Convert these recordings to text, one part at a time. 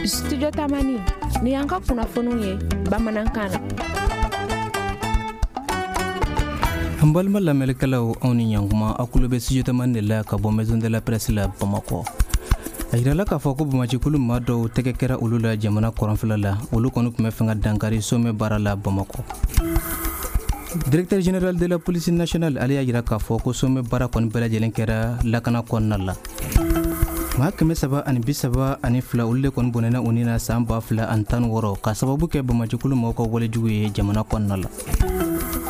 Studio Tamani ni y'an ka kunnafoniw ye bamanankan na. An balima lamɛnnikɛlaw, aw ni ɲankuma. Aw kulo bɛ Studio Tamani de la ka bɔ Maison de la Presse la Bamakɔ. A yirala k'a fɔ ko banbaancikulu maa dɔw tɛgɛ kɛra olu la jamana kɔrɔnfɛla la. Olu kɔni tun bɛ fɛ ka dankari sommet baara la Bamakɔ. Directeur général de la police nationale, ale y'a yira k'a fɔ ko sommet baara kɔni bɛɛ lajɛlen kɛra lakana kɔnɔna la. Maa 332, olu de kɔni bɔnɛna u ni na san 2016 ka sababu kɛ banbaancikulu maaw ka walejugu ye jamana kɔnɔna la.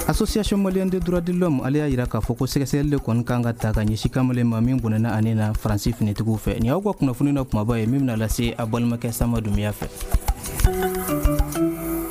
Association malienne des droits de l'homme, ale y'a yira k'a fɔ ko sɛgɛsɛgɛli de kɔni kan ka ta ka ɲɛsin kamalen ma min bɔnɛna ani na Faransi finitigiw fɛ. Nin y'aw ka kunnafoni na kumaba ye min bɛna lase a balimakɛ Sama Dunbiya fɛ.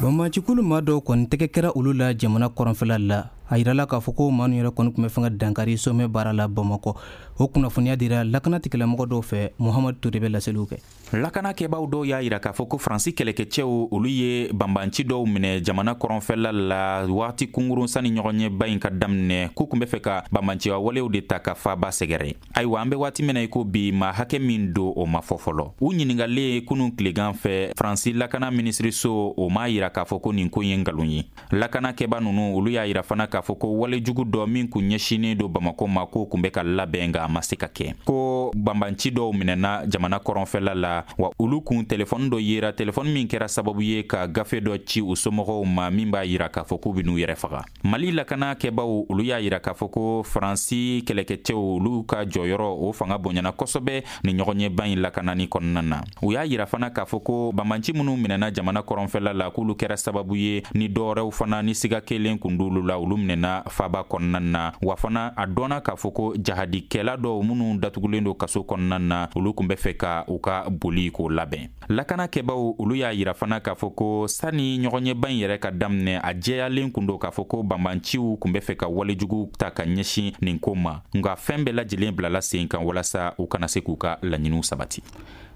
Banbaancikulu maa dɔw kɔni tɛgɛ kɛra olu la jamana kɔrɔnfɛla la. A yirala k'a fɔ ko maa ninnu yɛrɛ kɔni tun bɛ fɛ ka dankari sommet baara la Bamakɔ. O kunnafoniya dira lakana tigilamɔgɔ dɔw fɛ. Muhamadu Ture bɛ laseliw kɛ. Lakanakɛbaw dɔw y'a yira k'a fɔ ko Faransi kɛlɛkɛcɛw, olu ye banbanci dɔw minɛ jamana kɔrɔnfɛla la waati kunkurun sani ɲɔgɔnyeba in ka daminɛ, k'u kun bɛ fɛ ka banbanciya walew de ta ka faaba sɛgɛrɛ. Ayiwa, an bɛ waati min na i ko bi, maa hakɛ min don, o ma fɔ fɔlɔ. U ɲiningalen kunun tilegan fɛ, Faransi lakana minisiriso, o m'a yira k'a fɔ ko nin ko ye nkalon ye. Lakanakɛba ninnu, olu y'a yira fana k'a fɔ ko walejugu dɔ min kun ɲɛsinnen don Bamako ma, k'o kun bɛ ka labɛn, nka a ma se ka kɛ, ko banbanci dɔw minɛna jamana kɔrɔnfɛla la, wa olu kun telefɔni dɔ yera, telefɔni min kɛra sababu ye ka gafe dɔ ci u somɔgɔw ma min b'a yira k'a fɔ k'u bɛn'u yɛrɛ faga. Mali lakana kɛbaw, olu y'a yira k'a fɔ ko Faransi kɛlɛkɛcɛw, olu ka jɔyɔrɔ, o fanga bonyana kosɛbɛ ni ɲɔgɔnyeba in lakanani kɔnɔna na. U y'a yira fana k'a fɔ ko banbanci minnu minɛna jamana kɔrɔnfɛla la, k'olu kɛra sababu ye ni dɔwɛrɛw fana ni siga kelen kun d'olu la, olu minɛna faba kɔnɔna na. Wa fana, a dɔnna k'a fɔ ko jahadikɛla dɔw minnu datugulen don kaso kɔnɔna na, olu kun bɛ fɛ ka u ka boli k'o labɛn. Lakanakɛbaw, olu y'a yira fana k'a fɔ ko sani ɲɔgɔnyeba in yɛrɛ ka daminɛ, a jɛyalen kun don k'a fɔ ko banbanciw kun bɛ fɛ ka walejugu ta ka ɲɛsin nin ko ma, nka fɛn bɛɛ lajɛlen bilala sen kan walasa u kana se k'u ka laɲiniw sabati.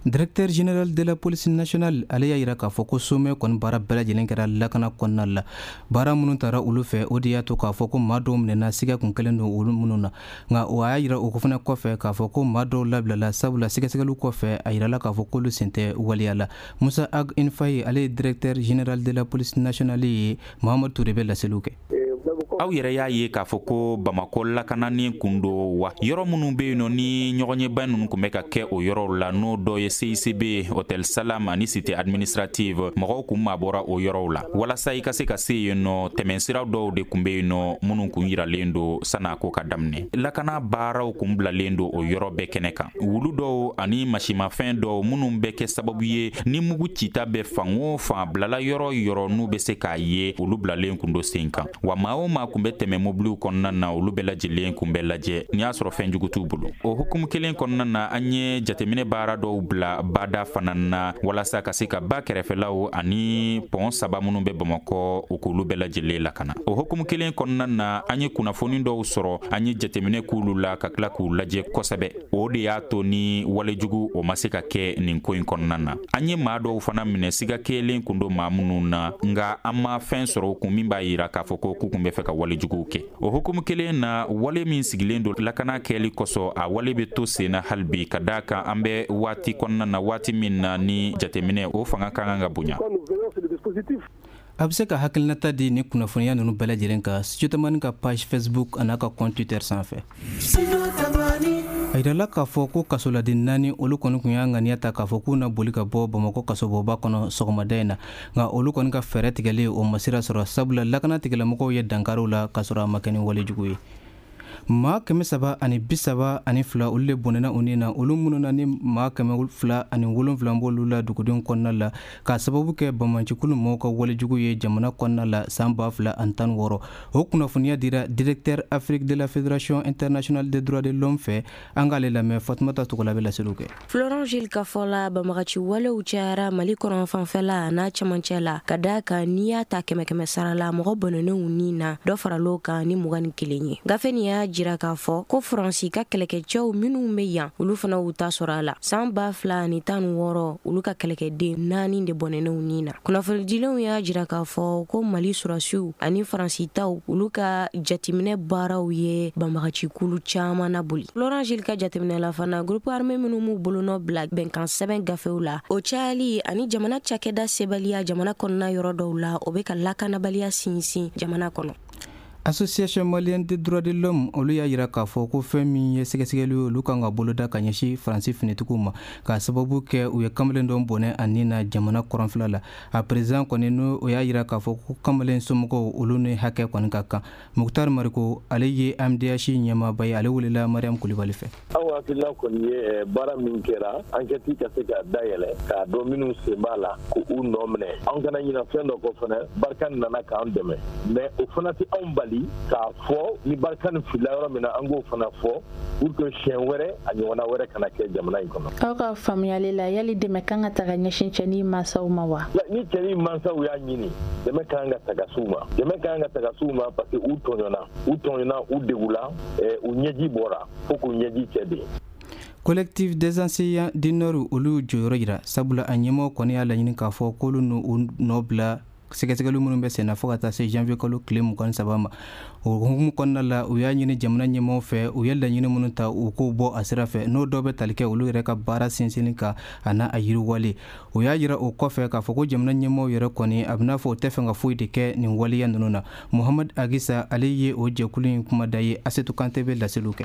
Directeur général de la police nationale, ale y'a yira k'a fɔ ko sommet kɔni baara bɛɛ lajɛlen kɛra lakana kɔnɔna la. Baara minnu tara olu fɛ, o de y'a to k'a fɔ ko maa dɔw minɛna, siga kun kɛlen don olu minnu na. Nka o y'a yira o fana kɔfɛ k'a fɔ ko maa dɔw labilala, sabula sɛgɛsɛgɛliw kɔfɛ, a yirala k'a fɔ k'olu sen tɛ waleya la. Musa Ag Infaye, ale ye directeur général de la police nationale ye. Mahamadu Ture bɛ laseliw kɛ. Aw yɛrɛ y'a ye k'a fɔ ko Bamakɔ lakananin kun don wa, yɔrɔ minnu bɛ yen nɔ ni ɲɔgɔnyeba ninnu kun bɛ ka kɛ o yɔrɔw la, n'o dɔ ye CICB, Hôtel Salam ani cité administrative, mɔgɔw kun mabɔra o yɔrɔw la. Walasa i ka se ka se yen nɔ, tɛmɛnsira dɔw de kun bɛ yen nɔ minnu kun yiralen don san'a ko ka daminɛ. Lakana baaraw kun bilalen don o yɔrɔ bɛɛ kɛnɛ kan. Wulu dɔw ani masimafɛn dɔw minnu bɛ kɛ sababu ye ni mugu cita bɛ fan o fan bilala yɔrɔ yɔrɔ n'u bɛ se k'a ye, olu bilalen kun don sen kan. Wa maa o maa kun bɛ tɛmɛ mobiliw kɔnɔna na, olu bɛɛ lajɛlen kun bɛ lajɛ n'i y'a sɔrɔ fɛn jugu t'u bolo. O hukumu kelen kɔnɔna na, an ye jateminɛ baara dɔw bila bada fana na walasa ka se ka ba kɛrɛfɛlaw ani pɔn saba minnu bɛ Bamakɔ, u k'olu bɛɛ lajɛlen lakana. O hukumu kelen kɔnɔna na, an ye kunnafoni dɔw sɔrɔ, an ye jateminɛ k'olu la ka tila k'u lajɛ kosɛbɛ. O de y'a to ni walejugu, o ma se ka kɛ nin ko in kɔnɔna na. An ye maa dɔw fana minɛ, siga kelen kun don maa minnu na, nka an ma fɛn sɔrɔ u kun min b'a yira k'a fɔ ko k'u kun bɛ fɛ ka walejuguw kɛ. O hukumu kelen na, wale min sigilen don lakana kɛli kosɔn, a wale bɛ to sen na hali bi, ka d'a kan an bɛ waati kɔnɔna na, waati min na ni jateminɛ, o fanga ka kan ka bonya. A bɛ se ka hakilinata di ni kunnafoniya ninnu bɛɛ lajɛlen kan Studio Tamani ka page Facebook an'a ka compte Twitter sanfɛ. A yirala k'a fɔ ko kasoladen naani, olu kɔni kun y'a ŋaniya ta k'a fɔ k'u na boli ka bɔ Bamakɔ kasobonba kɔnɔ sɔgɔmada in na. Nka olu kɔni ka fɛɛrɛ tigɛlen, o ma sira sɔrɔ, sabula lakana tigilamɔgɔw ye dankariw la k'a sɔrɔ a ma kɛ ni walejugu ye. Maa 332, olu de bɔnɛna u ni na, olu minnu na ni maa 207 b'olu la dugudenw kɔnɔna la, k'a sababu kɛ banbaancikulu mɔgɔw ka walejugu ye jamana kɔnɔna la san 2016. O kunnafoniya dira directeur Afrique de la Fédération internationale des droits de l'homme fɛ. An k'ale lamɛn. Fatumata Togola bɛ laseliw kɛ. Florent Gilles ka fɔ la, banbagaci walew cayara Mali kɔrɔn fanfɛla n'a cɛmancɛ la, ka da kan n'i y'a ta kɛmɛ kɛmɛ sara la, mɔgɔ bɔnɛnenw ni na, dɔ faral'o kan ni 21 ye. Gafe nin y'a jira k'a fɔ ko Faransi ka kɛlɛkɛcɛw minnu bɛ yan, olu fana y'u ta sɔrɔ a la. San 2016, olu ka kɛlɛkɛden 4 de bɔnɛn'u ni na. Kunnafonidilenw y'a jira k'a fɔ ko Mali sɔrɔdasiw ani Faransi taw, olu ka jateminɛ baaraw ye banbagacikulu caman naboli. Laurent Gilles ka jateminɛ la fana, groupe armé minnu m'u bolonɔ bila bɛnkan sɛbɛn gafew la, o cayali ani jamana cakɛda sebaliya jamana kɔnɔna yɔrɔ dɔw la, o bɛ ka lakanabaliya sinsin jamana kɔnɔ. Association malienne des droits de l'homme, olu y'a jira k'a fɔ ko fɛn min ye sɛgɛsɛgɛli ye, olu kan ka boloda ka ɲɛsin Faransi finitigiw ma, k'a sababu kɛ u ye kamalen dɔ bɔnɛ a ni na jamana kɔrɔnfɛla la. A président kɔni, n'o o y'a jira k'a fɔ ko kamalen somɔgɔw, olu ni hakɛ kɔni ka kan. Muktar Mariko, ale ye AMDH ɲɛmaaba ye, ale welela Mariam Kulibali fɛ. Aw hakilina kɔni ye baara min kɛra, enquête ka se ka dayɛlɛ k'a dɔn minnu sen b'a la, k'u nɔ minɛ. Anw kana ɲina fɛn dɔ kɔ fana, Barkhane nana k'an dɛmɛ, mais o fana tɛ anw bali k'a fɔ ni Barkhane filila yɔrɔ min na, an k'o fana fɔ pour que siɲɛ wɛrɛ a ɲɔgɔnna wɛrɛ kana kɛ jamana in kɔnɔ. Aw ka faamuyali la, yali dɛmɛ kan ka ta ka ɲɛsin cɛnin mansaw ma wa? Ni cɛnin mansaw y'a ɲini, dɛmɛ kan ka ta ka s'u ma, dɛmɛ kan ka ta ka s'u ma, parce que u tɔɲɔna, u tɔɲɔna, u degula, u ɲɛji bɔra fo k'u ɲɛji cɛ de. Collectif des enseignants du Nord, olu jɔyɔrɔ jira, sabula a ɲɛmɔgɔ kɔni y'a laɲini k'a fɔ k'olu n'u nɔ bila sɛgɛsɛgɛli minnu bɛ senna fo ka taa se janvier kalo tile 23 ma. O hukumu kɔnɔna la, u y'a ɲini jamana ɲɛmɔgɔw fɛ, u ye laɲini minnu ta, u k'o bɔ a sira fɛ, n'o dɔw bɛ tali kɛ olu yɛrɛ ka baara sinsinni kan a n'a a yiriwale. O y'a jira o kɔfɛ k'a fɔ ko jamana ɲɛmɔgɔw yɛrɛ kɔni, a bɛna fɔ o tɛ fɛ ka foyi de kɛ nin waleya ninnu na. Muhamad Agisa, ale ye o jɛkulu in kumada ye. Asetu Kante bɛ laseliw kɛ.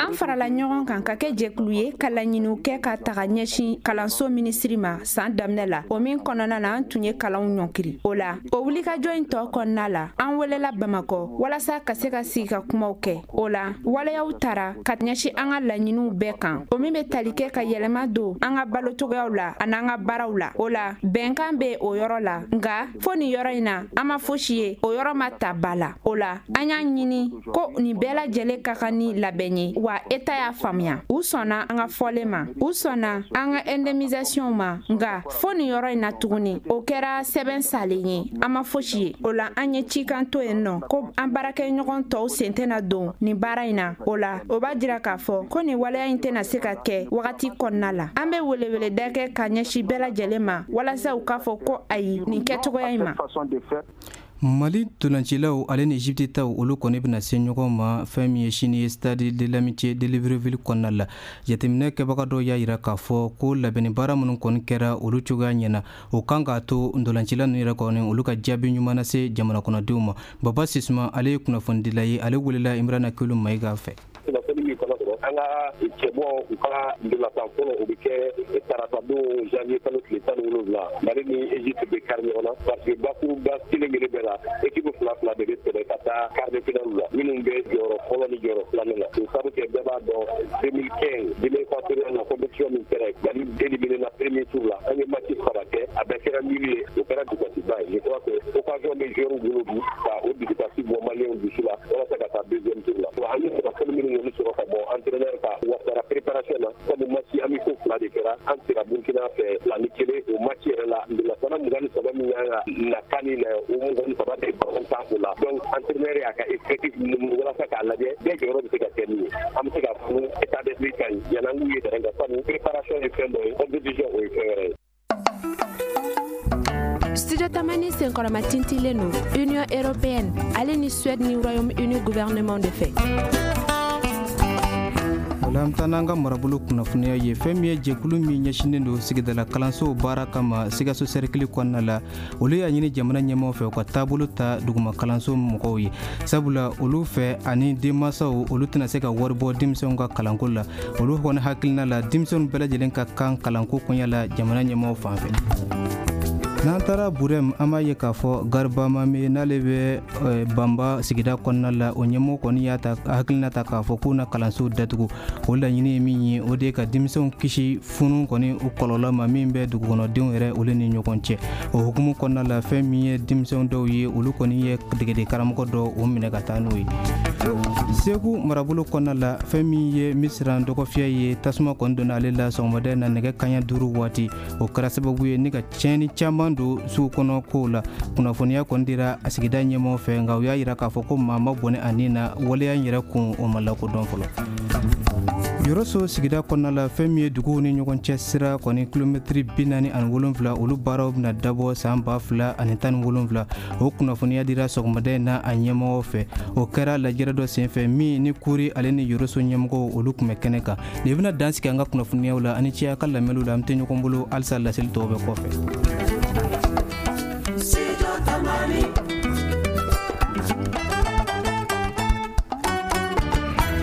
An farala ɲɔgɔn kan ka kɛ jɛkulu ye ka laɲiniw kɛ ka taga ɲɛsin kalanso minisiri ma san daminɛ la. O min kɔnɔna na, an tun ye kalanw ɲɔnkiri. O la, o wulikajɔ in tɔ kɔnɔna la, an welela Bamakɔ walasa ka se ka sigi ka kumaw kɛ. O la, waleyaw tara ka ɲɛsin an ka laɲiniw bɛɛ kan, o min bɛ tali kɛ ka yɛlɛma don an ka balocogoyaw la an'an ka baaraw la. O la, bɛnkan bɛ o yɔrɔ la, nka fo nin yɔrɔ in na, an ma fosi ye, o yɔrɔ ma ta ba la. O la, an y'a ɲini ko nin bɛɛ lajɛlen ka kan ni labɛn ye, wa État y'a faamuya. U sɔnna an ka fɔlen ma, u sɔnna an ka indemnisation ma, nka fo nin yɔrɔ in na tuguni, o kɛra sɛbɛn salen ye, an ma fosi ye. O la, an ye cikan to yen nɔ ko an baarakɛɲɔgɔn tɔw sen tɛna don nin baara in na. O la, o b'a jira k'a fɔ ko nin waleya in tɛna se ka kɛ wagati kɔnɔna la. An bɛ weleweleda kɛ ka ɲɛsin bɛɛ lajɛlen ma walasa u k'a fɔ ko ayi nin kɛcogoya in ma. Mali tolancilaw ale ni Egypte taw, olu kɔni bɛna se ɲɔgɔn ma fɛn min ye sini ye stade de l'Amitié de Libreville kɔnɔna la. Jateminɛ kɛbaga dɔw y'a jira k'a fɔ ko labɛnni baara minnu kɔni kɛra, olu cogoya ɲɛna. O kan k'a to ntolancila ninnu yɛrɛ kɔni, olu ka jaabi ɲuman na se jamana kɔnɔdenw ma. Baba Sisuma, ale ye kunnafonidila ye, ale welela Imrana Kelu Mayiga fɛ. Kunnafoni min kɔnɔ sɔrɔ, an ka cɛbɔ, u ka ndolantan fɔlɔ, o bɛ kɛ tarata don, janvier kalo tile 17. Mali ni Egypte bɛ kari ɲɔgɔn na, parce que bakuruba kelen kelen bɛɛ la, équipe fila fila de bɛ tɛmɛ ka taa quart de finale la, minnu bɛ jɔyɔrɔ fɔlɔ ni jɔyɔrɔ filanan na. O sabu kɛ, bɛɛ b'a dɔn, 2015 Guinée équatoriale la, compétition min kɛra, Mali éliminé na premier tour la. An ye match saba kɛ, a bɛɛ kɛra nul ye. O kɛra dusukasiba ye. Je crois que occasion bɛ joueur bolo bi ka o dusukasi bɔ Maliyɛnw dusu la walasa ka taa deuxième tour la. An ye kunnafoni minnu kɔni sɔrɔ ka bɔ entraîneur ka wasara préparation na, sabu match amicaux fila de kɛra, an sera Burkina fɛ 2-1. O match yɛrɛ la, ndolantanna 23 min kan ka na kan na, o 23 de ballon tan o la. Donc entraîneur y'a ka effectif walasa k'a lajɛ bɛɛ jɔyɔrɔ bɛ se ka kɛ min ye. An bɛ se k'a fɔ état d'esprit ka ɲi yan'an k'u ye terrain kan, sabu préparation ye fɛn dɔ ye, compétition, o ye fɛn wɛrɛ ye. Studio Tamani senkɔrɔma tintilen don Union européenne ale ni Suède ni Royaume-Uni gouvernement de fɛ. O la, an bɛ taa n'an ka marabolo kunnafoniya ye. Fɛn min ye jɛkulu min ɲɛsinnen don sigidala kalansow baara kama Sikaso cercle kɔnɔna la, olu y'a ɲini jamana ɲɛmaaw fɛ u ka taabolo ta duguma kalanso mɔgɔw ye, sabula olu fɛ ani denmansaw, olu tɛna se ka wari bɔ denmisɛnw ka kalanko la. Olu kɔni hakilina la, denmisɛnw bɛɛ lajɛlen ka kan kalanko koɲɛ la jamana ɲɛmaaw fan fɛ. N'an taara Burɛm, an b'a ye k'a fɔ Gariba Mame, n'ale bɛ Banba sigida kɔnɔna la, o ɲɛmɔgɔ kɔni y'a ta hakilina ta k'a fɔ k'u na kalansow datugu. O laɲini ye min ye, o de ye ka denmisɛnw kisi funu kɔni o kɔlɔlɔ ma min bɛ dugukɔnɔdenw yɛrɛ olu ni ɲɔgɔn cɛ. O hukumu kɔnɔna la, fɛn min ye denmisɛnw dɔw ye, olu kɔni ye degeden karamɔgɔ dɔ o minɛ ka taa n'o ye. Segu marabolo kɔnɔna la, fɛn min ye Misiran dɔgɔfiyɛ ye, tasuma kɔni donna ale la sɔgɔmada na nɛgɛ kaɲa 5 waati. O kɛra sababu ye ni ka tiɲɛni caman don sugu kɔnɔ kow la. Kunnafoniya kɔni dira a sigida ɲɛmɔgɔ fɛ, nka u y'a yira k'a fɔ ko maa ma bɔnɛ a ni na. Waleya in yɛrɛ kun, o ma lakodɔn fɔlɔ. Yɔrɔso sigida kɔnɔna la, fɛn min ye duguw ni ɲɔgɔn cɛ sira kɔni kilomɛtiri 47, olu baaraw bɛna dabɔ san 2017. O kunnafoniya dira sɔgɔmada in na a ɲɛmɔgɔw fɛ. O kɛra lajɛrɛ dɔ senfɛ min ni Kuri ale ni Yɔrɔso ɲɛmɔgɔw, olu tun bɛ kɛnɛ kan. Nin bɛna dan sigi an ka kunnafoniyaw la. Ani cɛ a ka lamɛnniw la. An tɛ ɲɔgɔn bolo halisa, laseli tɔw bɛ kɔfɛ.